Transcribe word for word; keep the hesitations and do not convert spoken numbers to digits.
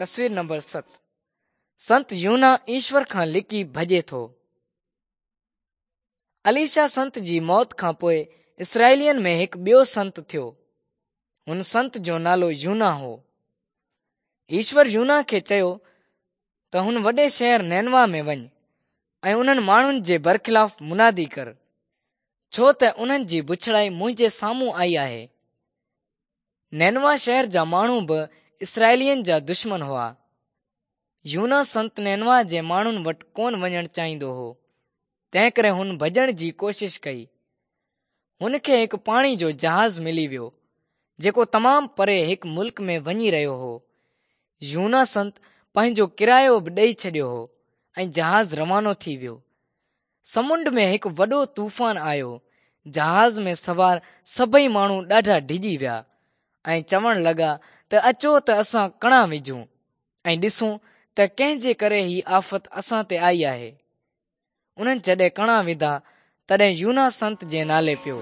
تصوير نمبر ست سنت يوحنا ايشور کان لڪي ڀڄي ٿو. اليشا سنت جي موت کان پوءِ اسرائيلين ۾ هڪ ٻيو سنت ٿيو. هن سنت جو نالو يوحنا هو. ايشور يوحنا کي چيو ته هن وڏي شهر نينوا ۾ وڃ ۽ انهن ماڻهن جي برخلاف منادي ڪر، ڇو ته انهن جي بڇڙائي منهنجي سامهون آئي آهي. نينوا شهر جا ماڻهو به اسرائيلين جا دشمن هئا. يوحنا سنت نينوا جي ماڻهن وٽ ڪونه وڃڻ چاهيندو هو، تنهنڪري هن ڀڄڻ جي ڪوشش ڪئي. هن کي هڪ پاڻي جو جهاز ملي ويو، جيڪو تمام پري هڪ ملڪ ۾ وڃي رهيو هو. يوحنا سنت پنهنجو ڪرايو به ڏئي ڇڏيو هو ۽ جهاز روانو ٿي ويو. سمنڊ ۾ هڪ وڏو طوفان آيو. جهاز ۾ سوار سڀئي ماڻهو ڏاڍا ڊڄي ويا ۽ چوڻ لڳا ته اچو ته اسان ڪڻا وجهون ۽ ڏسون ته ڪنهن جي ڪري هي آفت اسان تي آئي آهي. انهن جڏهن ڪڻا وڌا تڏهن يوحنا سنت جي نالي پيو.